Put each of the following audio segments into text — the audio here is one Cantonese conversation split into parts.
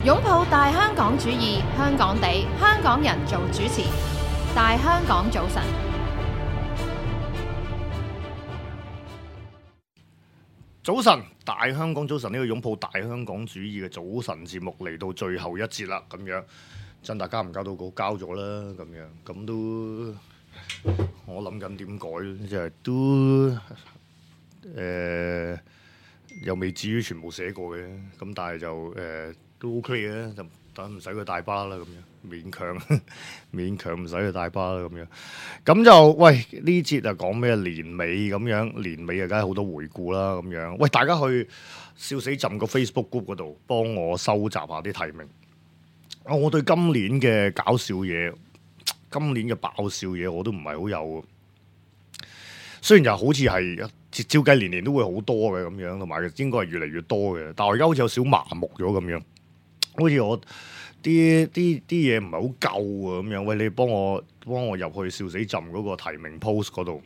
擁抱大香港主義，香港地，香港人做主持。大香港早晨，早晨，大香港早晨，呢個擁抱大香港主義嘅早晨節目嚟到最後一節啦，咁樣真大家唔交到稿交咗啦，咁都我諗緊點改，即係都又未至於全部寫過嘅，咁但係就都 OK 嘅，就等唔使佢大巴啦，咁樣勉強唔使佢大巴啦，咁樣咁就喂呢節啊講咩年尾咁樣，年尾啊梗係好多回顧啦，咁樣喂大家去笑死朕個 Facebook group 嗰度幫我收集下啲提名。我對今年嘅搞笑嘢，今年嘅爆笑嘢我都唔係好有，雖然就好似係照計年年都會好多嘅咁樣，同埋應該係越嚟越多嘅，但係我而家好似有少麻木咗咁樣，好似我啲嘢唔係好夠啊咁樣。喂，你幫我入去笑死朕嗰個提名 post 嗰度，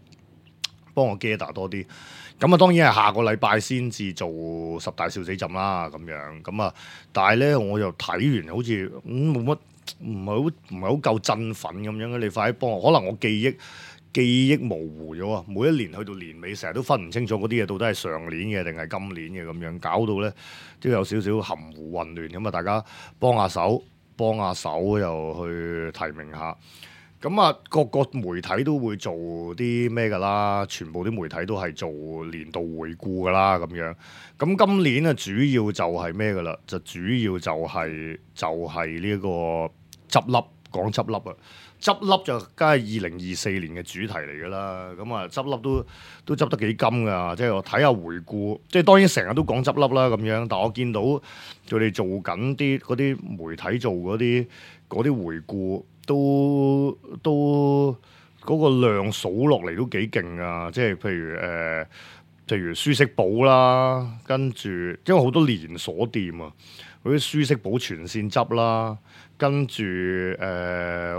幫我 gather 多啲。咁啊，當然係下個禮拜先至做10大笑死朕啦，咁樣咁啊。但係咧，我又睇完好似冇乜，唔係好夠振奮咁樣。你快啲幫我，可能我記憶模糊咗啊！每一年去到年尾，成日都分唔清楚嗰啲嘢到底係上年嘅定係今年嘅咁樣，搞到咧都有少少含糊混亂咁啊！大家幫下手又去提名下。咁啊，各個媒體都會做啲咩㗎啦？全部啲媒體都係做年度回顧㗎啦，咁樣。咁今年啊，主要就係咩㗎啦？就主要就係呢一個執笠，講執笠啊！執笠就梗係2024年嘅主題嚟㗎啦。咁啊，執笠都執得幾金㗎。即係我睇下回顧，即係當然成日都講執笠啦咁樣。但我見到佢哋做緊嗰啲媒體做嗰啲回顧。都嗰個量數落嚟都幾勁啊！即係譬如舒適寶啦，跟住因為好多連鎖店啊，嗰啲舒適寶全線執啦，跟住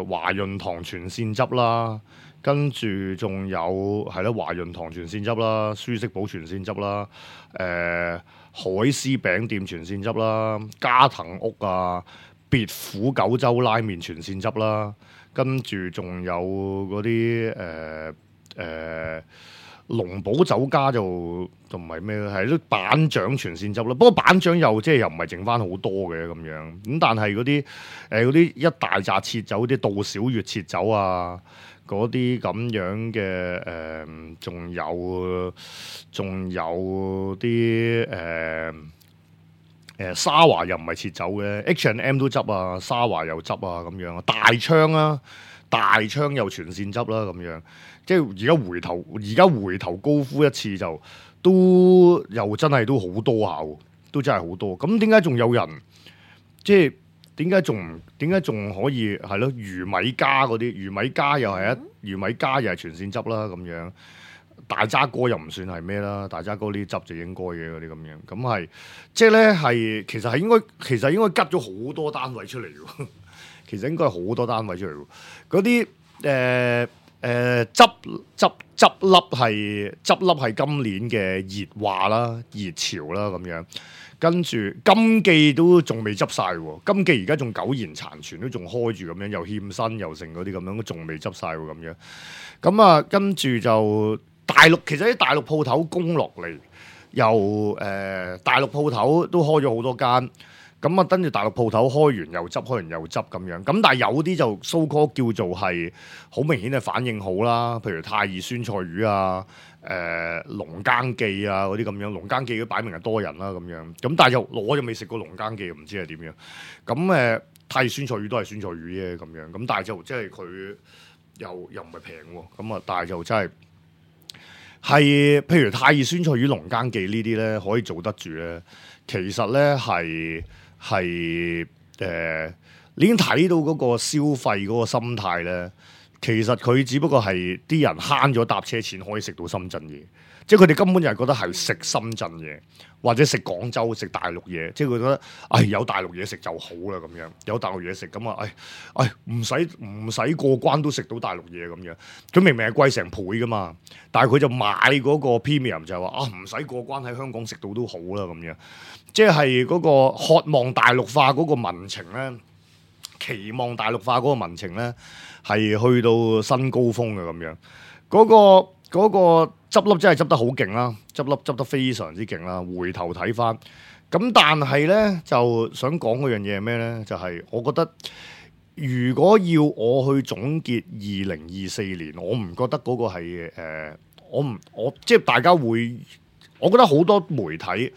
華潤堂全線執啦，跟住仲有係啦華潤堂全線執啦，舒適寶全線執啦，海絲餅店全線執啦，加藤屋啊。別府九州拉麵全線執啦，跟住仲有嗰啲龍寶酒家就同埋咩咧，係啲板長全線執啦。不過板長又唔係剩翻好多嘅咁樣，咁但係嗰啲一大紮切酒，啲杜小月切酒啊，嗰啲咁樣嘅仲有啲沙華又唔係切酒嘅 H&M 都執啊，沙華又執啊咁樣啊，大昌又全線執啦咁樣，即係而家回頭高呼一次就都又真係都好多下喎，都真係好多。咁點解仲有人即係點解仲可以係咯？魚米家嗰啲魚米家又係全線執啦咁樣。大渣哥又唔算係咩啦，大渣哥呢啲執就應該嘅嗰啲咁樣，咁係即係咧係其實應該吉咗好多單位出嚟喎，其實應該係好多單位出嚟喎，嗰啲執笠係今年嘅熱話啦、熱潮啦咁樣，跟住金記都仲未執晒喎，金記而家仲苟延殘存，都仲開住咁樣，又欠薪又剩嗰啲咁樣，都仲未執晒喎咁樣，咁啊跟住就。其實啲大陸鋪頭供落嚟，又大陸鋪頭都開咗好多間，咁啊跟住大陸鋪頭開完又執咁樣，咁但係有啲就 so call 叫做係好明顯嘅反應好啦，譬如太二酸菜魚啊、龍耕記啊嗰啲咁樣，龍耕記都擺明係多人啦咁樣，咁但係我就未食過龍耕記，唔知係點樣，咁太二酸菜魚都係酸菜魚啫咁樣，咁但係就即係佢又唔係平喎，咁啊但係就真係。係，譬如太二酸菜魚、龍耕記呢啲咧，可以做得住咧。其實咧係你已經睇到嗰個消費嗰個心態咧，其實佢只不過係啲人慳咗搭車錢可以食到深圳嘢，即係佢哋根本就係覺得係食深圳嘢，或者食廣州食大陸嘢，即係佢覺得有大陸嘢食就好啦咁樣，有大陸嘢食咁啊，唔使過關都食到大陸嘢咁樣。佢明明係貴成倍噶嘛，但係佢就買嗰個 premium 就係話唔使過關喺香港食到都好啦咁樣，即係嗰個渴望大陸化嗰個民情咧，期望大陸化嗰個民情咧係去到新高峰嘅咁樣，嗰個執笠真係執得好勁啦，執得非常之勁啦。回頭睇翻，咁但係咧就想講嗰樣嘢係咩咧？就係、我覺得如果要我去總結2024年，我唔覺得嗰個係我即係大家會，我覺得好多媒體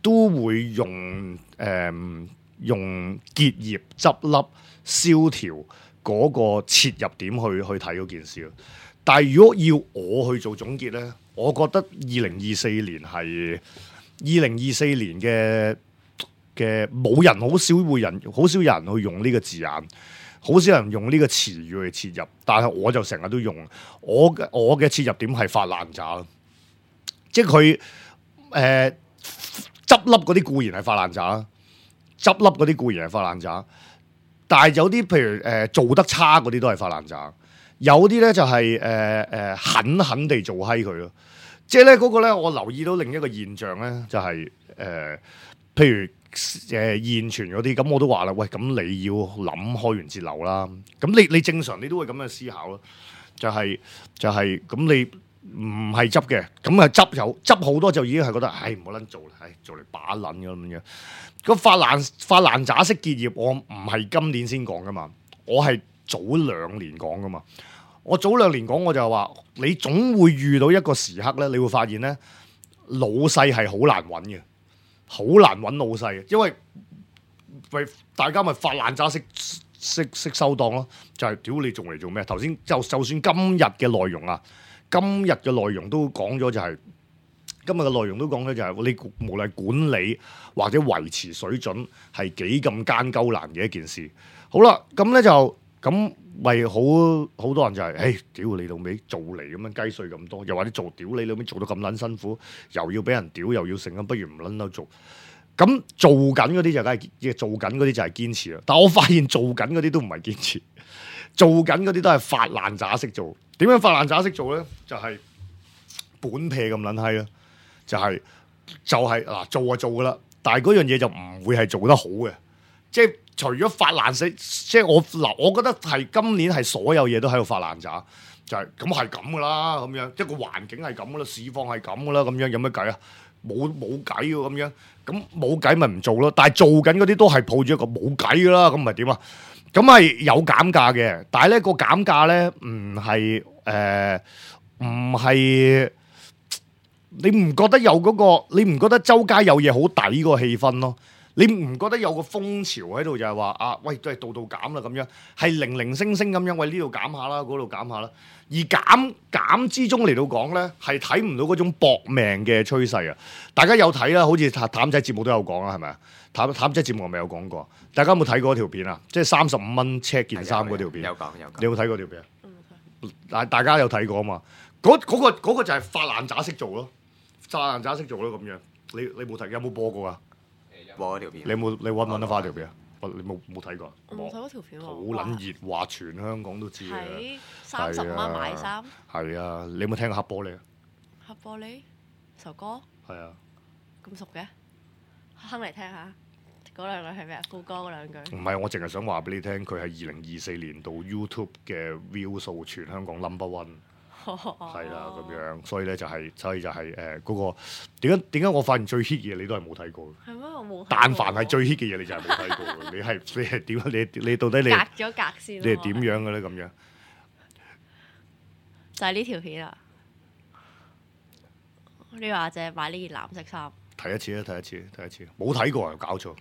都會用用結業、執笠、蕭條嗰個切入點去睇嗰件事咯。但係如果要我去做總結咧，我覺得2024年係2024年嘅冇人好少有人去用呢個字眼，好少人用呢個詞語去切入。但係我就成日都用我嘅切入點係發爛渣，即係佢執笠嗰啲固然係發爛渣，執笠嗰啲固然係發爛渣，但係有啲譬如做得差嗰啲都係發爛渣。有啲咧就係狠狠地做閪佢咯，即係咧嗰個咧，我留意到另一個現象咧，就係譬如現存嗰啲，咁我都話啦，喂，咁你要諗開源節流啦，咁你正常你都會咁樣思考咯，就係咁你唔係執嘅，咁啊執好多就已經係覺得，唔好撚做啦，做嚟把撚咁樣。個發爛渣式結業，我唔係今年先講噶嘛，我係早2年講噶嘛。我早2年講，我就話你總會遇到一個時刻咧，你會發現咧，老細係好難揾嘅，好難揾老細，因為大家咪發爛渣式收檔咯，就係屌你仲嚟做咩？頭先就算今日嘅內容啊，今日嘅內容都講咗就係、今日嘅內容都講咗就係你無論管理或者維持水準係幾咁艱鳩難嘅一件事。好啦，咁咧就咁。咪好多人就係、屌你老味做嚟咁樣雞碎咁多，又或者做屌你老味做到咁撚辛苦，又要俾人屌又要成咁，不如唔撚到做。咁做緊嗰啲就梗係做緊嗰啲就係堅持啦。但我發現做緊嗰啲都唔係堅持，做緊嗰啲都係發爛渣式做。點樣發爛渣式做咧？就係、本撇咁撚閪啦，就係嗱做就做噶啦，但係嗰樣嘢就唔會係做得好嘅，即係。除咗發爛式，即係我覺得係今年係所有嘢都喺度發爛渣，就係咁係咁噶啦，咁樣一個環境係咁噶啦，市況係咁噶啦，咁樣有乜計啊？冇計喎，咁樣咁冇計咪唔做咯。但係做緊嗰啲都係抱住一個冇計噶啦，咁咪點啊？咁係有減價嘅，但係咧個減價咧唔係你唔覺得有嗰個？你唔覺得周街有嘢好抵個氣氛咯？你唔覺得有個風潮喺度就係話喂都係度度減啦咁樣，係零零星星咁樣，喂呢度減下啦，嗰度減下啦。而減之中嚟到講咧，係睇唔到嗰種搏命嘅趨勢啊！大家有睇啦，好似譚仔節目都有講啦，係咪啊？譚仔節目係咪有講過？大家有冇睇過嗰條片啊？即係35蚊 check 件衫嗰條片。有講。你有冇睇過條片啊？大家有睇過啊嘛？嗰個就係發爛渣式做咯，發爛渣式做咯咁樣。你冇睇？有冇播過啊？播嗰條片，你揾唔揾得翻條片啊？你冇睇過？我冇睇嗰條片喎。好撚熱，話全香港都知嘅。係30蚊買衫。係啊，你有冇聽過黑玻璃啊？黑玻璃首歌。係啊。咁熟嘅？哼嚟聽下。嗰兩句係咩啊？副歌嗰兩句。唔係，我淨係想話俾你聽，佢係2024年度 YouTube 嘅 view 數全香港 number one。係啦，咁樣，所以咧就係嗰個點解我發現最 hit 嘅嘢你都係冇睇過？係咩？我冇。但凡係最 hit 嘅嘢，你就係冇睇過。你係點？你到底你隔咗格先？你係點樣嘅咧？咁樣就係呢條片啊！你話淨係買呢件藍色衫？睇一次，冇睇過啊！搞錯，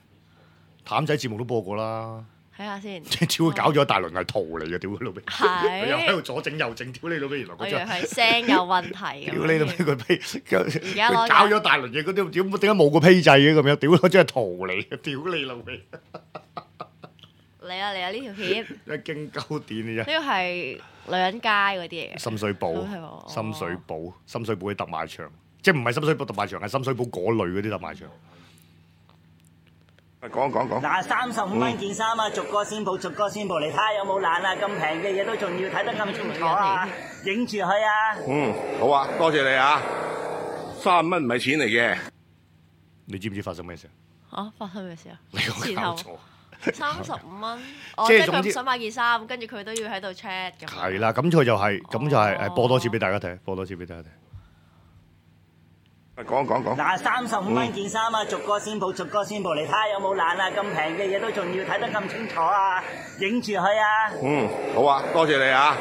譚仔節目都播過啦。睇下先，屌搞咗一大輪係圖嚟嘅，屌佢老味，佢又喺度左整右整，屌你老味，原來佢真係聲有問題。屌你老味，佢搞咗大輪嘢，嗰啲點解冇個批制嘅咁樣？屌佢真係圖嚟嘅，屌你老味。嚟啊嚟啊！呢條片一經鳩電嘅啫。呢個係女人街嗰啲嚟嘅。深水埗，深水埗啲特賣場，即係唔係深水埗特賣場，係深水埗嗰類嗰啲特賣場。講。嗱，35蚊件衫啊，逐個先報，你睇下有冇爛啊？咁平嘅嘢都仲要睇得咁清楚啊！影住佢啊！好啊，多謝你啊！3蚊唔係錢嚟嘅。你知唔知發生咩事啊？發生咩事啊？你講搞錯。35蚊，即係佢唔想買件衫，跟住佢都要喺度 check 咁。係啦，咁佢就係播多次俾大家睇，講。嗱，35蚊件衫啊，逐個先報，你睇下有冇爛啊？咁平嘅嘢都仲要睇得咁清楚啊！影住佢啊！好啊，多謝你啊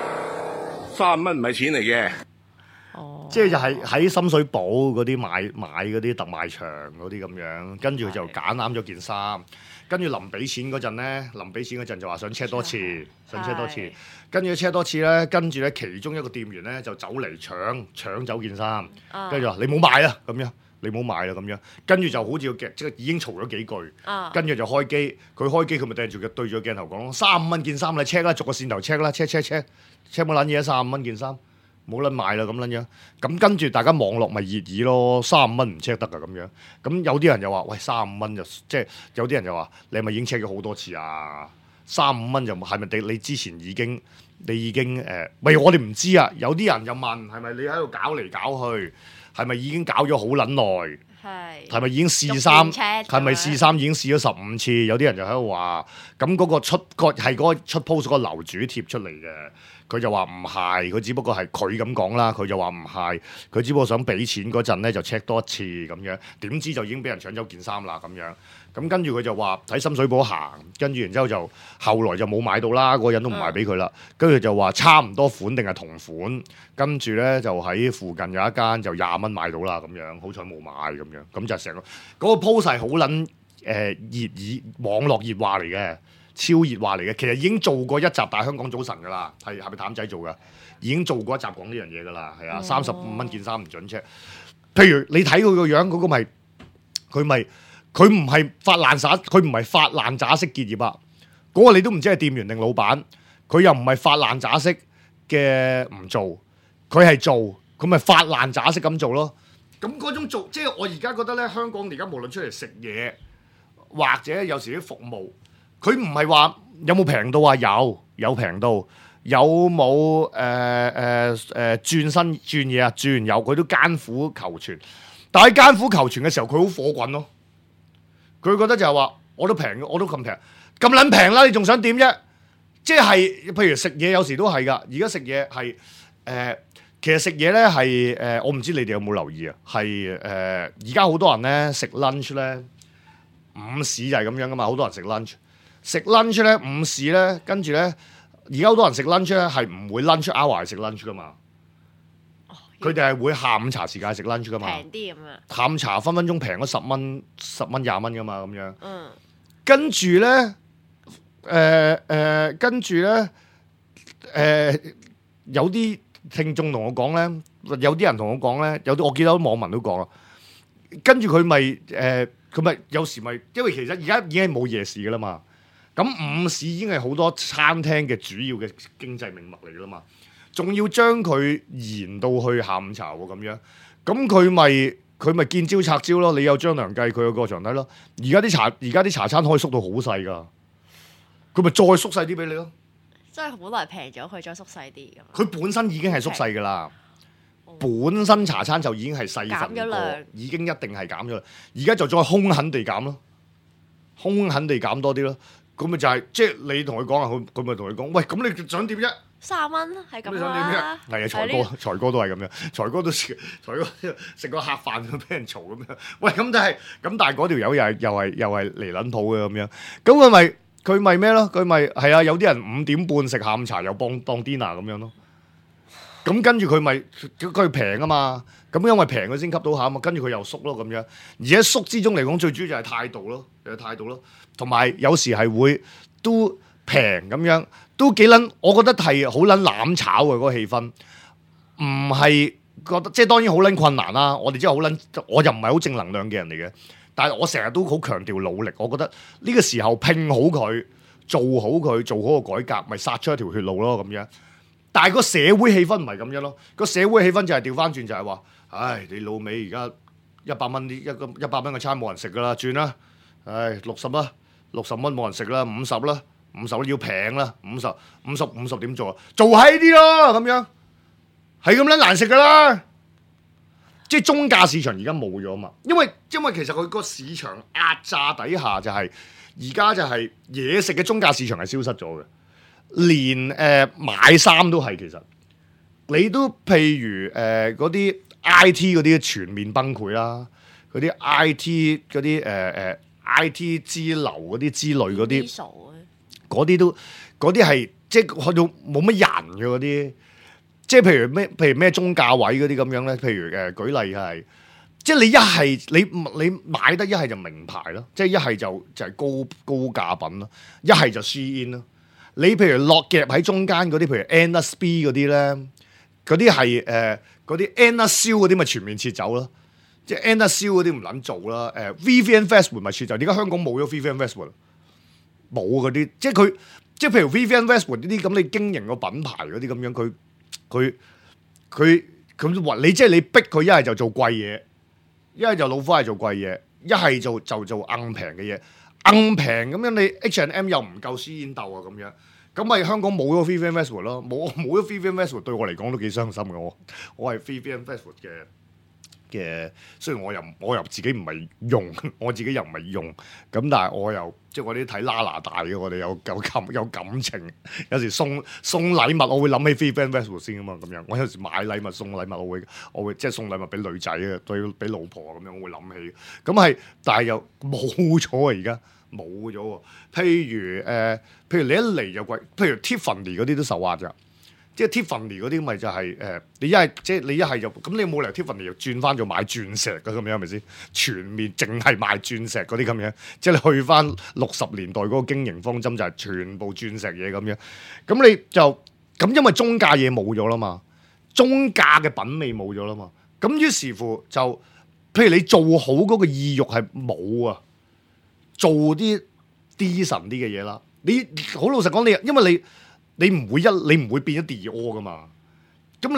！3蚊唔係錢嚟嘅。即係就係喺深水埗嗰啲買嗰啲特賣場嗰啲咁樣，跟住佢就揀啱咗件衫，跟住臨俾錢嗰陣就話想 check 多次，跟住 check 多次咧，跟住咧其中一個店員咧就走嚟搶走件衫，跟住話你冇買啊咁樣，咁樣，跟住就好似即係已經嘈咗幾句，跟住就開機，佢咪對住個鏡頭講35蚊件衫你 check 啦，逐個線頭 check 啦 check 冇撚嘢35蚊件衫。冇撚買啦咁撚樣，咁跟住大家網絡咪熱議咯，35蚊唔 check 得噶咁樣，咁有啲人就話喂35蚊就即係有啲人就話你係咪已經 check 咗好多次啊？35蚊就係咪你之前已經喂我哋唔知啊，有啲人就問係咪你喺度搞嚟搞去，係咪已經搞咗好撚耐？係咪已經試衫？係咪試衫已經試咗15次？有啲人就喺度話，咁嗰個出 post 嗰個樓主貼出嚟嘅。佢就話唔係，佢只不過係佢咁講啦。佢就話唔係，佢只不過想俾錢嗰陣咧就 check 多一次咁樣，點知就已經俾人搶走件衫啦咁樣。咁跟住佢就話喺深水埗行，跟住然之後就後來就冇買到啦，嗰個人都唔賣俾佢啦。跟住就話差唔多款定係同款，跟住咧就喺附近有一間就20蚊買到啦咁樣，好彩冇買咁樣。咁就成個嗰個 post 係好撚熱議網絡熱話嚟嘅。超熱話嚟嘅，其實已經做過一集《大香港早晨》噶啦，係咪譚仔做噶？已經做過一集講呢樣嘢噶啦，係啊，35蚊件衫唔準 check。譬如你睇佢個樣，嗰個佢唔係發爛渣式結業啊！嗰個你都唔知係店員定老闆，佢又唔係發爛渣式嘅唔做，佢係做，佢咪發爛渣式咁做咯。咁嗰種做，即係我而家覺得咧，香港而家無論出嚟食嘢，或者有時啲服務。佢唔係話有冇平到啊？有平到，有冇轉身轉嘢啊？轉有，佢都艱苦求存。但係艱苦求存嘅時候，佢好火滾咯。佢覺得就係話，我都咁平，咁撚平啦，你仲想點啫？即係譬如食嘢有時都係㗎。而家食嘢係其實食嘢咧係我唔知你哋有冇留意啊？係而家好多人咧食 lunch 咧，午市就係咁樣㗎嘛，好多人食 lunch。食 lunch 咧，午市咧，跟住咧，而家好多人食 lunch 咧，係唔會 lunch hour 食 lunch 噶嘛。佢哋係會下午茶時間食 lunch 噶嘛。平啲咁啊！下午茶分分鐘平咗10蚊、20蚊噶嘛，咁樣。跟住咧，有啲聽眾同我講咧，有啲人同我講咧，有啲我記得網民都講啦。跟住佢咪有時咪，因為其實而家已經係冇夜市噶啦嘛。咁午市已經係好多餐廳嘅主要嘅經濟命脈嚟噶啦嘛，仲要將佢延到去下午茶喎咁樣，咁佢咪見招拆招咯。你有張良計，佢有過牆梯咯。而家啲茶餐可以縮到好細噶，佢咪再縮細啲俾你咯。即係本來平咗，佢再縮細啲咁。佢本身已經係縮細噶啦，本身茶餐就已經係細份過，已經一定係減咗啦。而家就再兇狠地減咯，兇狠地減多啲咯。咁咪就係即係你同佢講啊，佢咪同佢講，喂，咁你想點啫？30蚊係咁啦。係啊，財哥都係咁樣，財哥食個客飯都俾人嘈咁樣。喂，咁但係嗰條友又係嚟撚鋪嘅咁樣。咁佢咪咩咯？佢咪係啊？有啲人5點半食下午茶又當 dinner 咁樣咯。咁跟住佢平啊嘛。咁因為平佢先吸到下啊嘛。跟住佢又縮咯咁樣。而喺縮之中嚟講，最主要就係態度咯，同埋有時係會都平咁樣，都幾撚，我覺得係好撚攬炒嘅嗰個氣氛，唔係覺得即係當然好撚困難啦。我哋真係好撚，我又唔係好正能量嘅人嚟嘅，但係我成日都好強調努力。我覺得呢個時候拼好佢，做好佢，做好個改革，咪殺出一條血路咯咁樣。但係個社會氣氛唔係咁樣咯，個社會氣氛就係調翻轉，就係話，唉，你老味而家100蚊100蚊嘅餐冇人食噶啦，轉啦，唉60啦，60蚊冇人食啦，50啦，50要平啦，50點做啊？做喺啲咯咁樣，係咁撚難食噶啦。即係中價市場而家冇咗嘛，因為其實佢個市場壓榨底下就係而家就係嘢食嘅中價市場係消失咗嘅，連買衫都係其實你都譬如嗰啲 IT 嗰啲全面崩潰啦，嗰啲 IT 嗰啲IT 之流嗰啲之類嗰啲嗰啲係即係去到冇乜人嘅嗰啲。即係譬如咩中價位嗰啲咁樣咧，譬如舉例係，即係你一係你買得一係就名牌咯，即係一係就係高價品咯，一係就 Shein 咯。你譬如落夾喺中間嗰啲，譬如 NSB 嗰啲咧，嗰啲係嗰啲 NSL 嗰啲咪全面撤走咯，即係 NSL 嗰啲唔撚做啦。Vivienne Westwood 咪撤走，點解香港冇咗 Vivienne Westwood？冇嗰啲，即係譬如 Vivienne Westwood 呢啲咁，你經營個品牌嗰啲咁樣，佢話你即係你逼佢一係就做貴嘢，一係就老花係做貴嘢，一係就做硬平嘅嘢，硬平咁樣你 H&M 又唔夠Shein鬥啊咁樣，咁咪香港冇咗 Vivienne Westwood 咯，冇咗 Vivienne Westwood 對我嚟講都幾傷心嘅，我係 Vivienne Westwood 嘅，雖然我又自己唔係用，我自己又唔係用，咁但係我又即係我啲睇拉拿大嘅，我哋有感情，有時送禮物我會諗起 Vivienne Westwood 先啊嘛，咁樣我有時買禮物送禮物我會即係送禮物俾女仔嘅，對俾老婆咁樣我會諗起，咁係但係又冇咗啊而家冇咗喎，譬如你一嚟就貴，譬如 Tiffany 嗰啲都受壓㗎。即係 Tiffany 嗰啲咪就係你一係即係你一係就咁，你冇理由 Tiffany 又轉翻做買鑽石嘅咁樣係咪先？全面淨係賣鑽石嗰啲咁樣，即係你去翻60年代嗰個經營方針就係全部鑽石嘢咁樣。咁你就咁，因為中價嘢冇咗啦嘛，中價嘅品味冇咗啦嘛。咁於是乎就，譬如你做好嗰個意欲係冇啊，做啲 decent 啲嘅嘢啦。你好老實講，因為你唔會變咗 Dior 噶嘛？咁你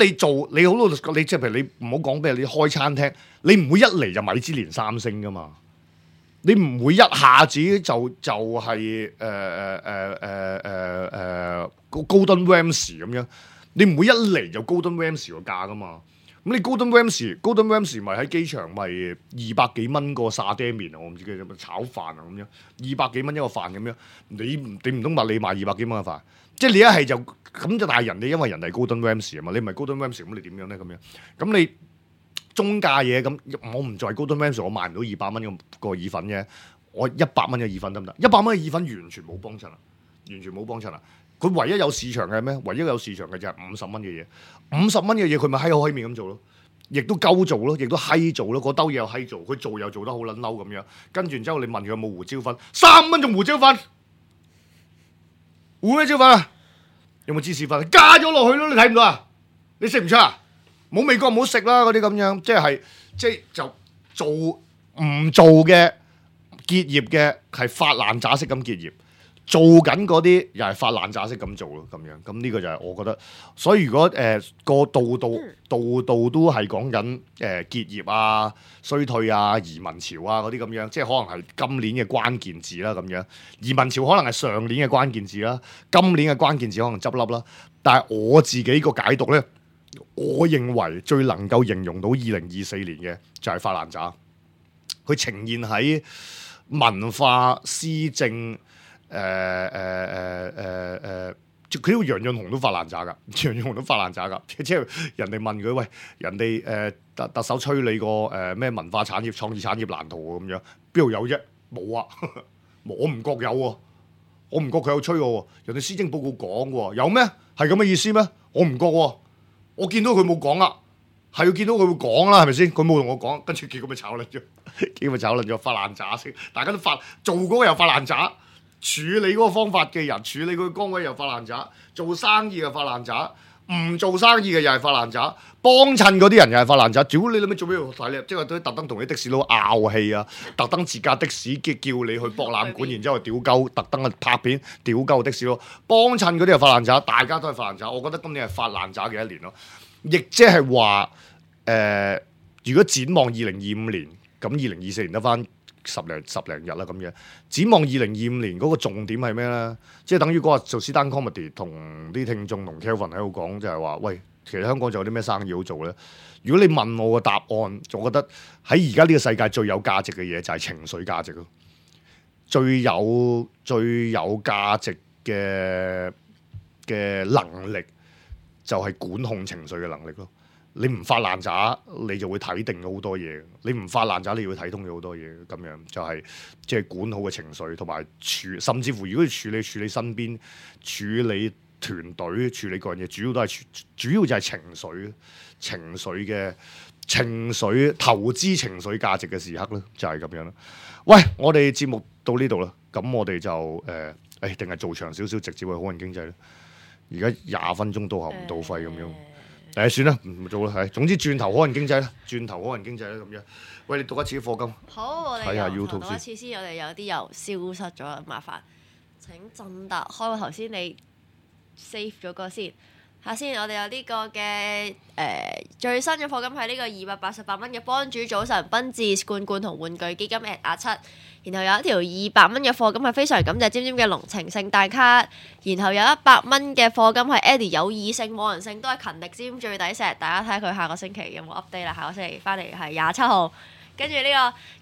好老實講，你即係譬如你唔好講俾你開餐廳，你唔會一嚟就米芝蓮3星噶嘛？你唔會一下子就係Gordon Ramsay 咁樣，你唔會一嚟就 Gordon Ramsay 個價噶嘛？咁你 Gordon Ramsay 咪喺機場咪200幾蚊個沙爹麵啊？我唔知叫咩炒飯啊咁樣，200幾蚊一個飯咁樣，你唔通話你賣200幾蚊嘅飯？即係你一係就咁就，但係人哋因為人哋 Gordon Ramsay 啊嘛，你唔係 Gordon Ramsay 咁你點樣咧咁樣？咁你中價嘢咁，我唔在 Gordon Ramsay，我賣唔到200蚊個意粉嘅，我100蚊嘅意粉得唔得？100蚊嘅意粉完全冇幫襯啊，完全冇幫襯啊！佢唯一有市場嘅係咩？唯一有市場嘅就係50蚊嘅嘢，50蚊嘅嘢佢咪閪口閪面咁做咯，亦都鳩做咯，亦都閪做咯，嗰兜嘢又閪做，佢做又做得好撚嬲咁樣。跟住之後你問佢有冇胡椒粉，3蚊仲胡椒粉，胡咩椒粉啊？有冇芝士粉？加咗落去咯，你睇唔到啊？你食唔出啊？冇味覺唔好食啦，嗰啲咁樣，即係就做唔做嘅結業嘅係發爛渣式咁結業。做緊嗰啲又係發爛渣式咁做咯，咁樣咁呢個就係我覺得，所以如果個度都係講緊結業啊、衰退啊、移民潮啊嗰啲咁樣，即係可能係今年嘅關鍵字啦咁樣。移民潮可能係上年嘅關鍵字啦，今年嘅關鍵字可能執笠啦。但係我自己個解讀咧，我認為最能夠形容到2024年嘅就係發爛渣，佢呈現喺文化施政。佢呢個楊潤雄都發爛渣㗎，楊潤雄都發爛渣㗎，即係人哋問佢喂，人哋特首催你個咩文化產業、創意產業藍圖咁樣，邊度有啫？冇啊，我唔覺有喎，我唔覺佢有催我喎，人哋施政報告講喎，有咩？係咁嘅意思咩？我唔覺喎，我見到佢冇講啊，係要見到佢會講啦，係咪先？佢冇同我講，跟住結果咪炒撚咗，結果咪炒撚咗，發爛渣先，大家都做嗰個又發爛渣。處理嗰個方法嘅人，處理佢崗位又發爛渣，做生意又發爛渣，唔做生意嘅又係發爛渣，幫襯嗰啲人又係發爛渣。屌你諗咩做咩要睇你？即係特登同啲的士佬拗氣啊！特登自駕的士叫你去博覽館，然之後屌鳩，特登去拍片屌鳩的士佬。幫襯嗰啲係發爛渣，大家都係發爛渣。我覺得今年係發爛渣嘅一年咯。亦即係話如果展望2025年，咁2024年得翻十零日啦咁樣。展望2025年嗰個重點係咩咧？即係等於嗰日做 stand comedy 同啲聽眾同 Kelvin 喺度講，就係話：喂，其實香港仲有啲咩生意好做咧？如果你問我個答案，我覺得喺而家呢個世界最有價值嘅嘢就係情緒價值咯。最有價值嘅能力就係管控情緒嘅能力咯。你唔發爛渣，你就會睇定咗好多嘢；你唔發爛渣，你要睇通咗好多嘢。咁樣就係即係管好嘅情緒，同埋甚至乎如果處理身邊、處理團隊、處理個人嘢，主要就係情緒投資情緒價值嘅時刻咯，就係咁樣啦。喂，我哋節目到呢度啦，咁我哋就定係做長少少，直接去好人經濟咧。而家20分鐘到喉唔到肺咁樣。算啦，唔做啦，係。總之轉頭可能經濟啦，咁樣。喂，你讀一次課金。好，我哋睇下 YouTube 讀一次先。我哋有啲又消失咗啦，麻煩請振達開個頭先，你 save 咗個先。下先，我哋有呢個嘅最新嘅課金係呢個288蚊嘅幫主早晨賓治罐罐同玩具基金 @7，然後有一條200蚊嘅課金係非常感謝尖尖嘅濃情聖誕卡，然後有100蚊嘅課金係 Eddie 有異性冇人性都係勤力尖最抵錫，大家睇下佢下個星期有冇 update 啦。下個星期翻嚟係27號。跟住呢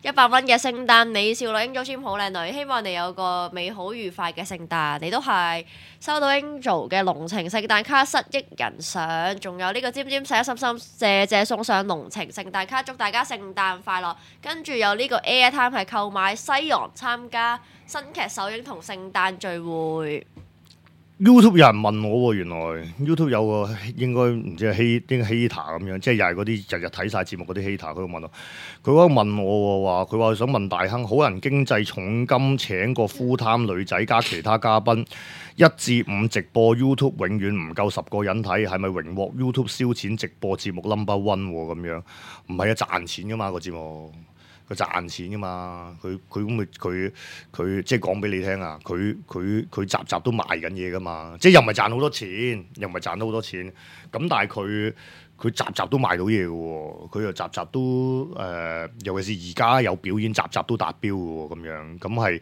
個100蚊嘅聖誕你少女 Angel Jim 好靚女，希望你有個美好愉快嘅聖誕。你都係收到 Angel 嘅濃情聖誕卡失憶人相，仲有呢個尖尖寫心心謝送上濃情聖誕卡，祝大家聖誕快樂。跟住有呢個 Airtime 係購買西洋參加新劇首映同聖誕聚會。YouTube 有人問我喎，原來 YouTube 有個應該唔知係hater 咁樣，即係又係嗰啲日日睇晒節目嗰啲 hater，佢度問我，佢嗰個問我話，佢話想問大亨，好人經濟重金請個 full time 女仔加其他嘉賓1至5直播 YouTube 永遠唔夠10個人睇，係咪榮獲 YouTube 燒錢直播節目 number one 咁樣？唔係啊，賺錢噶嘛個節目。佢賺錢噶嘛？佢即係講俾你聽啊！佢集集都賣緊嘢噶嘛！即係又唔係賺好多錢，咁但係佢集集都賣到嘢嘅喎，佢又集集都尤其是而家有表演，集集都達標嘅喎，咁樣咁係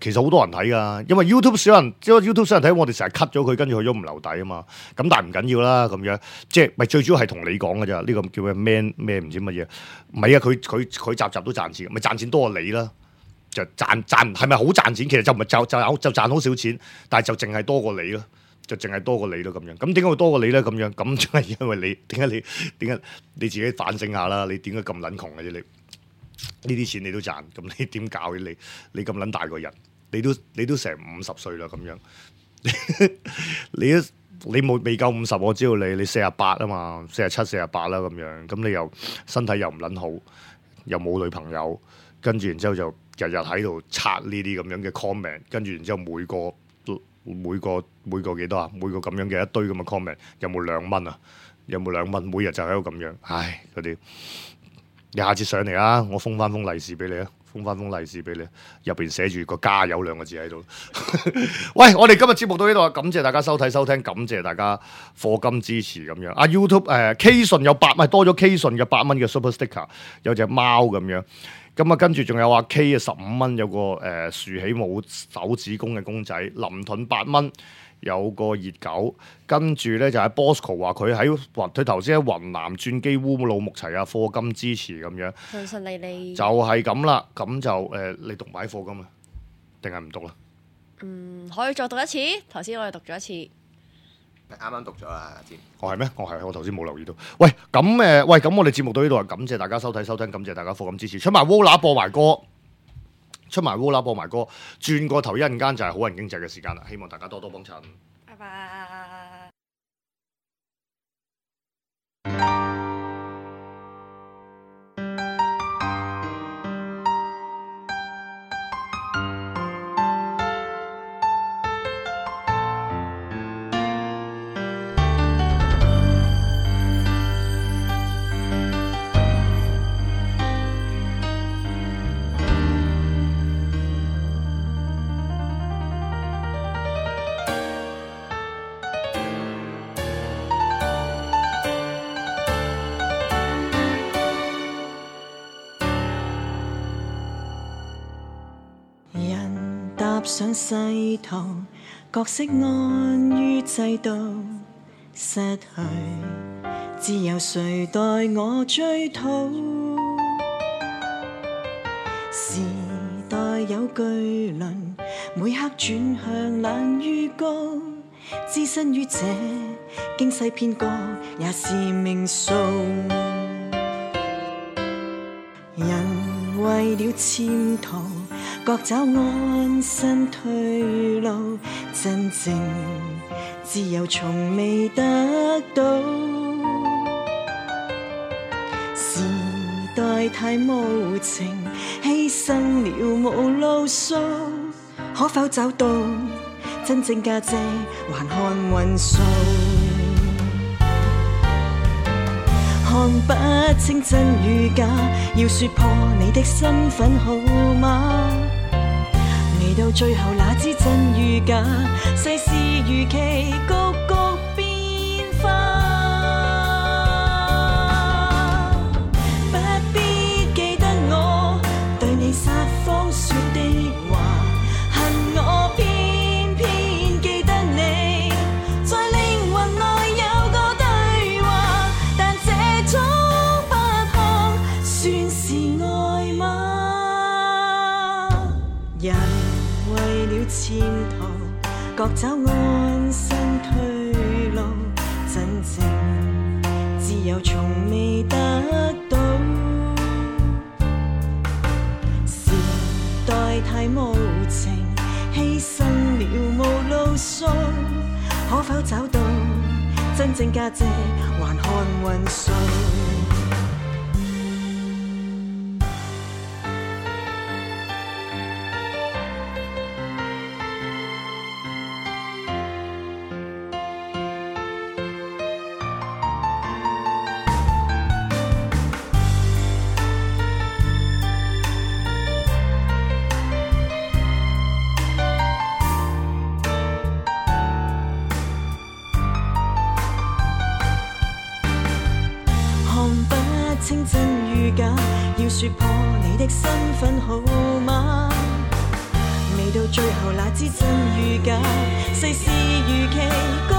其實好多人睇㗎，因為 YouTube 少人睇，我哋成日 cut 咗佢，跟住佢都唔留底啊嘛。咁但係唔緊要啦，咁樣即係咪最主要係同你講㗎咋？呢個叫咩 man 咩唔知乜嘢？唔係啊，佢集集都賺錢，咪賺錢多過你啦。就賺係咪好賺錢？其實就唔係就賺好少錢，但係就淨係多過你咯。就淨係多過你咯咁樣，咁點解會多過你咧？咁樣咁就係因為你點解你自己反省下啦？你點解咁撚窮嘅啫？你呢啲錢你都賺，咁你點搞嘅？你咁撚大個人，你都成50歲啦咁樣，你冇未夠50，我知道你48啊嘛，47、48啦咁樣，咁你又身體又唔撚好，又冇女朋友，跟住然之後就日日喺度刷呢啲咁樣嘅 comment， 跟住然之後每個幾多啊？每個咁樣嘅一堆咁嘅 comment， 有冇2蚊啊？有冇2蚊？每日就喺度咁樣，唉嗰啲，你下次上嚟啊！我封翻封利是俾你啊！封翻封利是俾你，入邊寫住個加油2個字喺度。喂，我哋今日節目到呢度啊！感謝大家收睇收聽，感謝大家課金支持咁樣。啊 YouTube K 信有8蚊，多咗 K 信嘅8蚊嘅 Super Sticker， 有隻貓咁樣。咁啊，跟住仲有阿 K 嘅15蚊，有個豎起冇手指公嘅公仔，林盾8蚊，有個熱狗，跟住咧就係 Bosco 話佢頭先喺雲南轉機烏魯木齊啊，課金支持咁樣，順順利利就係咁啦，咁就你讀埋課金啊，定係唔讀啦？可以再讀一次，頭先我哋讀咗一次。啱啱讀咗啦，知？我係咩？我頭先冇留意到。喂，咁我哋節目到呢度啊，感謝大家收睇收聽，感謝大家課金支持，出埋 Wola 播埋歌，轉個頭一陣間就係好人經濟嘅時間啦，希望大家多多幫襯。拜拜。上世途，角色安於制度，失去自由誰待我追討？時代有巨輪，每刻轉向冷與高，置身於這驚世騙局也是命數。人為了潛逃，各找安身退路，真正自由從未得到。時代太無情，犧牲了無路數，可否找到真正價值，還看運數？看不清真與假，要說破你的身份號碼，未到最後哪知真與假，世事如棋局局變化。不必記得我對你撒謊說的話，恨我偏偏記得你在靈魂內有個對話，但這種不幸算是愛嗎？人為了前途，各找安身退路，真正自由從未得到。時代太無情，犧牲了無路數，可否找到真正價值，還看運數？清真與假，要說破你的身份號碼，未到最後哪知真與假，世事如棋局